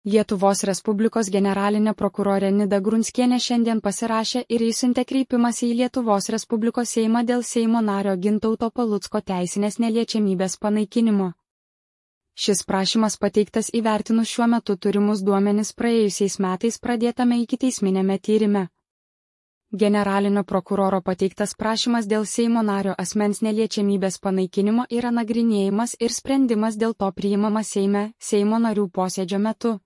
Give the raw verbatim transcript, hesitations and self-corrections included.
Lietuvos Respublikos generalinė prokurorė Nida Grunskienė šiandien pasirašė ir išsiuntė kreipimąsi į Lietuvos Respublikos Seimą dėl Seimo nario Gintauto Palucko teisinės neliečiamybės panaikinimo. Šis prašymas pateiktas įvertinus šiuo metu turimus duomenis praėjusiais metais pradėtame ikiteisminėme tyrime. Generalinio prokuroro pateiktas prašymas dėl Seimo nario asmens neliečiamybės panaikinimo yra nagrinėjimas ir sprendimas dėl to priimamas Seime, Seimo narių posėdžio metu.